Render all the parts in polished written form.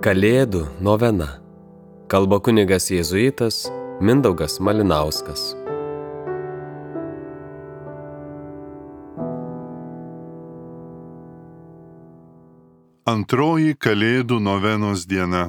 Kalėdų novena. Kalba kunigas jėzuitas Mindaugas Malinauskas. Antroji Kalėdų novenos diena.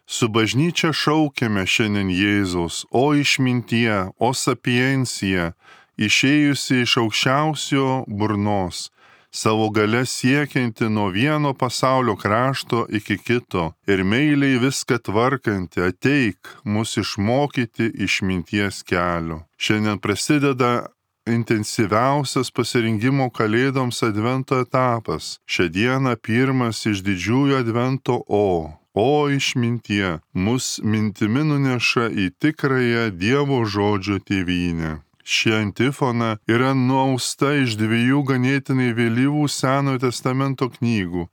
Su bažnyčia šaukiame šiandien Jėzaus, o išmintie, o sapiencija, išėjusi iš aukščiausio burnos, savo galia siekianti nuo vieno pasaulio krašto iki kito ir meiliai viską tvarkanti, ateik mus išmokyti išminties kelio. Šiandien prasideda intensyviausias pasirengimo Kalėdoms advento etapas. Šią dieną pirmas iš didžiųjų advento O išmintie, mus mintimi nuneša į tikrąją Dievo žodžio tėvynę. Ši antifona yra nuausta iš dviejų ganėtinai vėlyvų Senojo testamento knygų.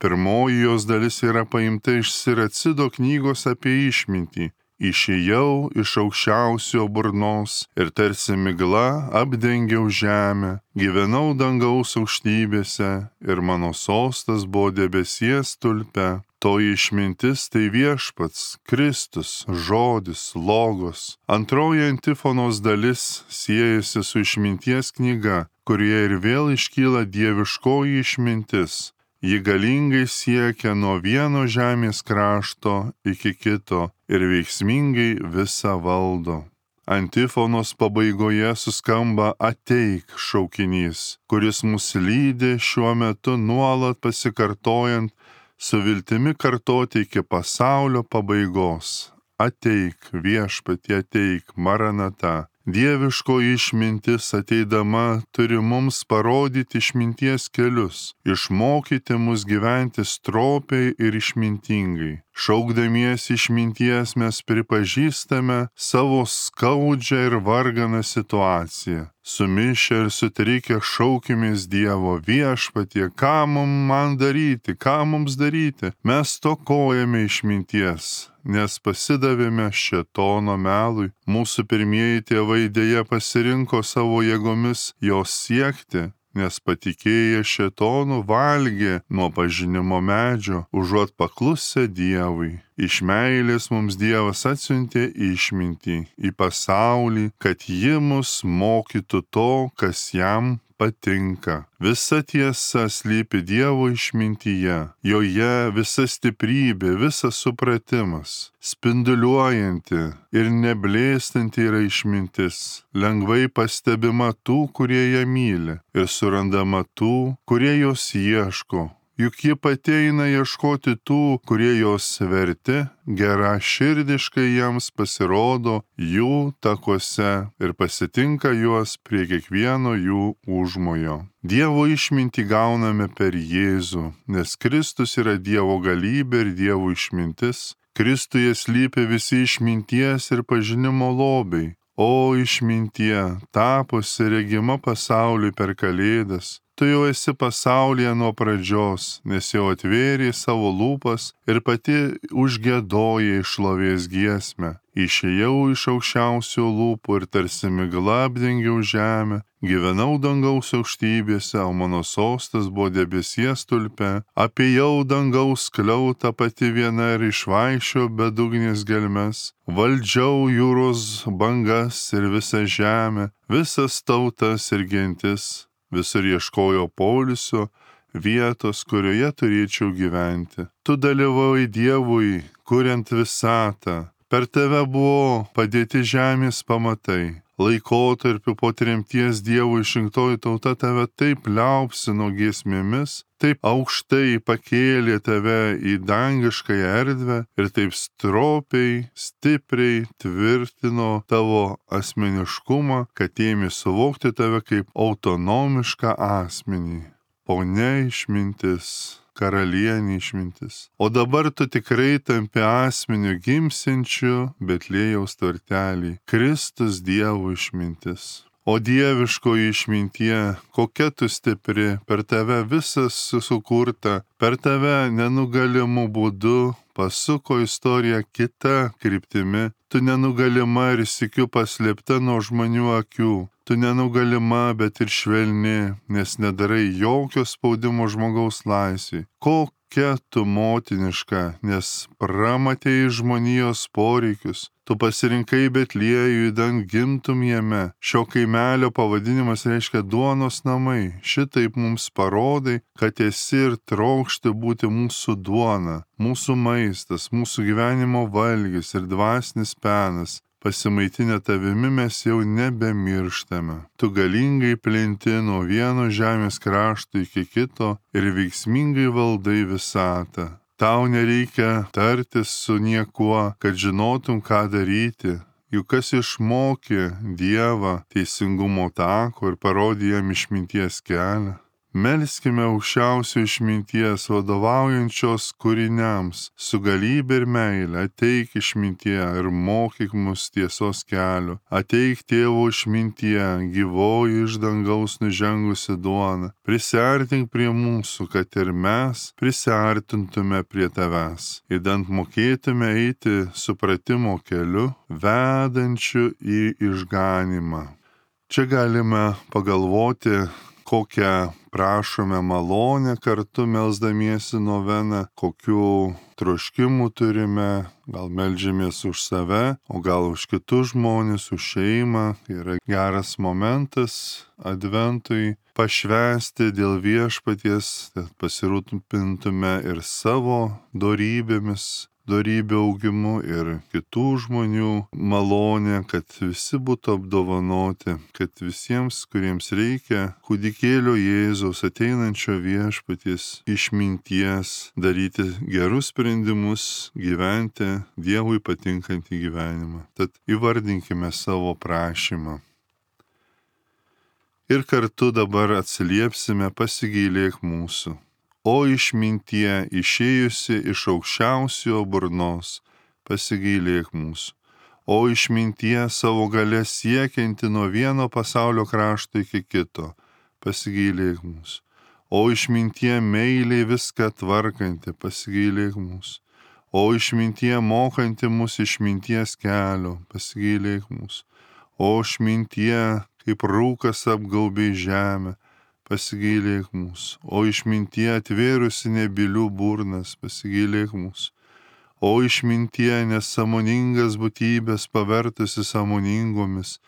Pirmoji jos dalis yra paimta iš Siracido knygos apie išmintį. Išėjau iš aukščiausio burnos ir tarsi migla apdengiau žemę, gyvenau dangaus aukštybėse ir mano sostas buvo debesies stulpe. Toji išmintis tai viešpats, Kristus, žodis, logos. Antroji antifonos dalis siejasi su išminties knyga, kurioje ir vėl iškyla dieviškoji išmintis. Ji galingai siekia nuo vieno žemės krašto iki kito ir veiksmingai visą valdo. Antifonos pabaigoje suskamba ateik šaukinys, kuris mus lydi šiuo metu nuolat pasikartojant, su viltimi kartoti iki pasaulio pabaigos. Ateik, viešpatie, ateik, Maranata. Dieviško išmintis ateidama turi mums parodyti išminties kelius, išmokyti mus gyventi stropiai ir išmintingai. Šaukdamiesi išminties mes pripažįstame savo skaudžią ir varganą situaciją. Sumišę ir sutrikę šaukimės Dievo, viešpatie, ką man daryti, ką mums daryti. Mes stokojame išminties, nes pasidavėme šėtono melui. Mūsų pirmieji tėvai dėja pasirinko savo jėgomis jos siekti, nes patikėję šėtonu valgė nuo pažinimo medžio, užuot paklusę Dievui. Iš meilės mums Dievas atsiuntė išmintį į pasaulį, kad ji mus mokytų to, kas jam patinka. Visa tiesa slypi Dievo išmintyje, joje visa stiprybė, visas supratimas. Spinduliuojanti ir neblėstanti yra išmintis, lengvai pastebima tų, kurie ją myli, ir surandama tų, kurie jos ieško. Juk ji pati eina ieškoti tų, kurie jos verti, geraširdiškai jiems pasirodo jų takuose ir pasitinka juos prie kiekvieno jų užmojo. Dievo išmintį gauname per Jėzų, nes Kristus yra Dievo galybė ir Dievo išmintis. Kristuje slypi visi išminties ir pažinimo lobiai. O išmintie, tapusi regima pasauliui per Kalėdas, tu jau esi pasaulyje nuo pradžios, nes jau atvėrė savo lūpas ir pati užgiedojai šlovės giesmę. Išėjau iš aukščiausio lūpų ir tarsi migla apdengiau žemę, gyvenau dangaus aukštybėse, o mano sostas buvo debesies stulpe. Apėjau dangaus skliautą pati viena ir išvaikščiojau bedugnės gelmes. Valdžiau jūros bangas ir visą žemę, visas tautas ir gentis. Visur ieškojo poilsio, vietos, kurioje turėčiau gyventi. Tu dalyvavai Dievui, kuriant visatą. Per tave buvo padėti žemės pamatai. Laikotarpiu po tremties Dievo išrinktoji tauta tave taip liaupsino giesmėmis, taip aukštai pakėlė tave į dangiškąją erdvę ir taip stropiai, stipriai tvirtino tavo asmeniškumą, kad ėmė suvokti tave kaip autonomišką asmenį. Ponia išmintis, karalienė išmintis. O dabar tu tikrai tampi asmeniu gimsiančiu Betliejaus tvartelį. Kristus Dievo išmintis. O dieviškoji išmintie, kokia tu stipri, per tave visas sukurta, per tave nenugalimų būdu pasuko istorija kita kryptimi. Tu nenugalima ir sykiu paslėpta nuo žmonių akių. Tu nenugalima, bet ir švelni, nes nedarai jokio spaudimo žmogaus laisvei. kokia tu motiniška, nes pramatei žmonijos poreikius. Tu pasirinkai Betliejų, idant gimtum jame. Šio kaimelio pavadinimas reiškia duonos namai. Šitaip mums parodai, kad esi ir trokšti būti mūsų duona, mūsų maistas, mūsų gyvenimo valgis ir dvasinis penas. Pasimaitinę tavimi mes jau nebemirštame. Tu galingai plinti nuo vieno žemės krašto iki kito ir veiksmingai valdai visatą. Tau nereikia tartis su niekuo, kad žinotum, ką daryti. Juk kas išmokė Dievą teisingumo tako ir parodė jam išminties kelią. Melskime aukščiausio išminties, vadovaujančios kūriniams, su galybė ir meilė, ateik išmintie ir mokyk mus tiesos kelio. Ateik tėvo išmintie, gyvoji iš dangaus nužengusi duona. Prisiartink prie mūsų, kad ir mes prisiartintume prie tavęs. Idant mokėtume eiti supratimo keliu, vedančiu į išganimą. Čia galime pagalvoti, kokią prašome malonę kartu melsdamiesi noveną, kokių troškimų turime, gal meldžiamės už save, o gal už kitus žmonės, už šeimą. Yra geras momentas adventui pašvęsti dėl viešpaties, kad pasirūpintume ir savo dorybėmis, dorybių augimu ir kitų žmonių malonė, kad visi būtų apdovanoti, kad visiems, kuriems reikia kūdikėlio Jėzaus ateinančio viešpaties išminties, daryti gerus sprendimus, gyventi Dievui patinkantį gyvenimą. Tad įvardinkime savo prašymą. Ir kartu dabar atsiliepsime pasigailėk mūsų. O išmintie išėjusi iš aukščiausio burnos, pasigailėk mūsų. O išmintie savo galia siekianti nuo vieno pasaulio krašto iki kito, pasigailėk mūsų. O išmintie meiliai viską tvarkanti, pasigailėk mūsų. O išmintie mokanti mus išminties kelio, pasigailėk mūsų. O išmintie kaip rūkas apgaubė žemę, pasigailėk mūsų. O išmintie atvėrusi nebylių burnas, pasigailėk mūsų. O išmintie nesąmoningas būtybės pavertusi sąmoningomis,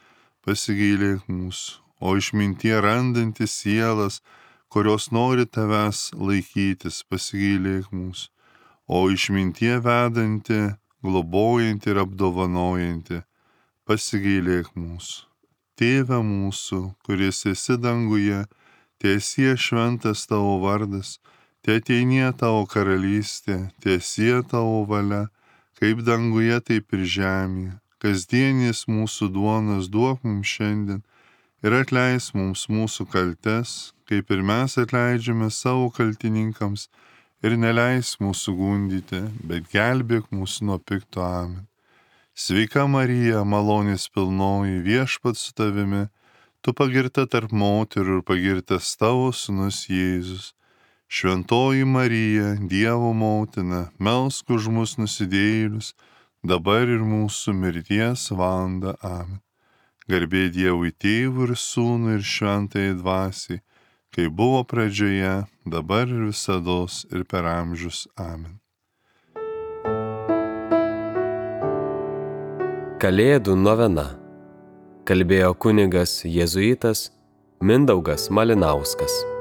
pasigailėk mūsų. O išmintie randantis sielas, kurios nori tavęs laikytis, pasigailėk mūsų. O išmintie vedanti, globojanti ir apdovanojanti, pasigailėk mūsų. Tėve mūsų, kuris esi danguje, tiesie šventas tavo vardas, teateinie tavo karalystė, tiesie tavo valia, kaip danguje, taip ir žemėje. Kasdienis mūsų duonas duok mums šiandien ir atleis mums mūsų kaltes, kaip ir mes atleidžiame savo kaltininkams, ir neleis mūsų gundyti, bet gelbėk mūsų nuo pikto. Amen. Sveika Marija, malonės pilnoji, Viešpats su tavimi, tu pagirta tarp moterų ir pagirtas tavo sūnus Jėzus. Šventoji Marija, Dievo motina, melsk už mus nusidėjėlius, dabar ir mūsų mirties valandą. Amen. Garbė Dievui Tėvui ir Sūnui ir Šventajai Dvasiai, kaip buvo pradžioje, dabar ir visados ir per amžius. Amen. Kalėdų novena. Kalbėjo kunigas jėzuitas Mindaugas Malinauskas.